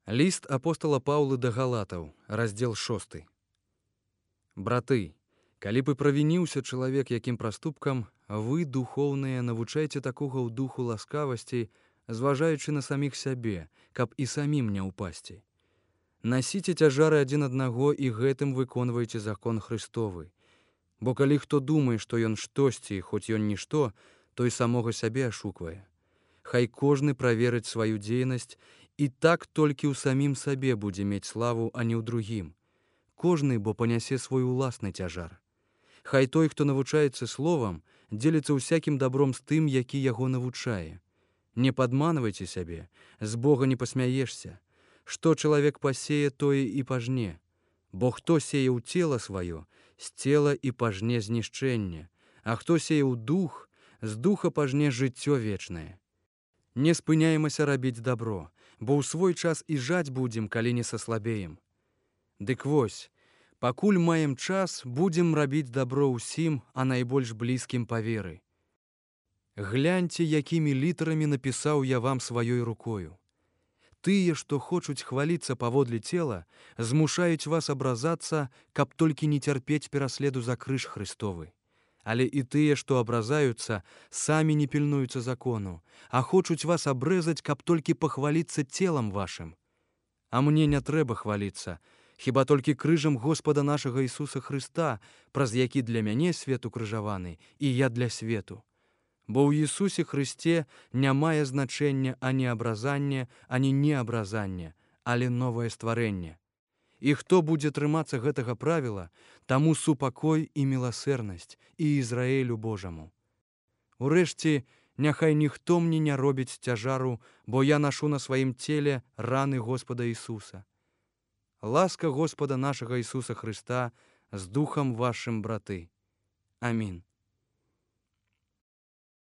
Ліст апостала Паўлы да галатаў, раздзел 6. Браты, калі б і правініўся чалавек якім праступкам, вы, духоўныя, навучайце такога ў духу ласкавасці, зважаючы на саміх сябе, каб і самім не ўпасці. Насіце цяжары адзін аднаго і гэтым выконвайце закон Христовы. Бо калі хто думае, што ён штосьці, хоць ён нішто, той самога сябе ашуквае. Хай кожны праверыць сваю дзейнасць, і так толькі ў самім сабе будзе мець славу, а не ў другім. Кожны, бо панясе свой уласны цяжар. Хай той, хто навучаецца словам, дзеліцца ўсякім добром з тым, які яго навучае. Не падманвайце сябе, з Бога не пасмяешся. Што чалавек пасее, тое і пажне. Бо хто сее ў цела сваё, з цела і пажне знішчэнне, а хто сее ў дух, з духа пажне жыццё вечнае. Не спыняемся рабіць добро, бо ў свой час і жаць будзем, калі не саслабеем. Дык вось, пакуль маем час, будзем рабіць добро ўсім, а найбольш блізкім па веры. Гляньце, якімі літарамі напісаў я вам сваёй рукою. Тыя, што хочуць хваліцца паводле цела, змушаюць вас абразацца, каб толькі не цярпець пераследу за крыж Христовы. Але і тыя, што абразаюцца, самі не пільнуюцца закону, а хочуць вас абрэзаць, каб толькі пахваліцца целам вашым. А мне не трэба хваліцца, хіба толькі крыжам Господа нашага Ісуса Христа, праз які для мяне свет укрыжаваны, і я для свету. Бо ў Ісусе Христе не мае значэння ані абразанне, ані неабразанне, але новае стварэнне. І хто будзе трымацца гэтага правіла, таму супакой і міласэрнасць і Ізраілю Божаму. Урэшце, няхай ніхто мне не робіць цяжару, бо я нашу на сваім целе раны Господа Ісуса. Ласка Господа нашага Ісуса Христа з духам вашым, браты. Амінь.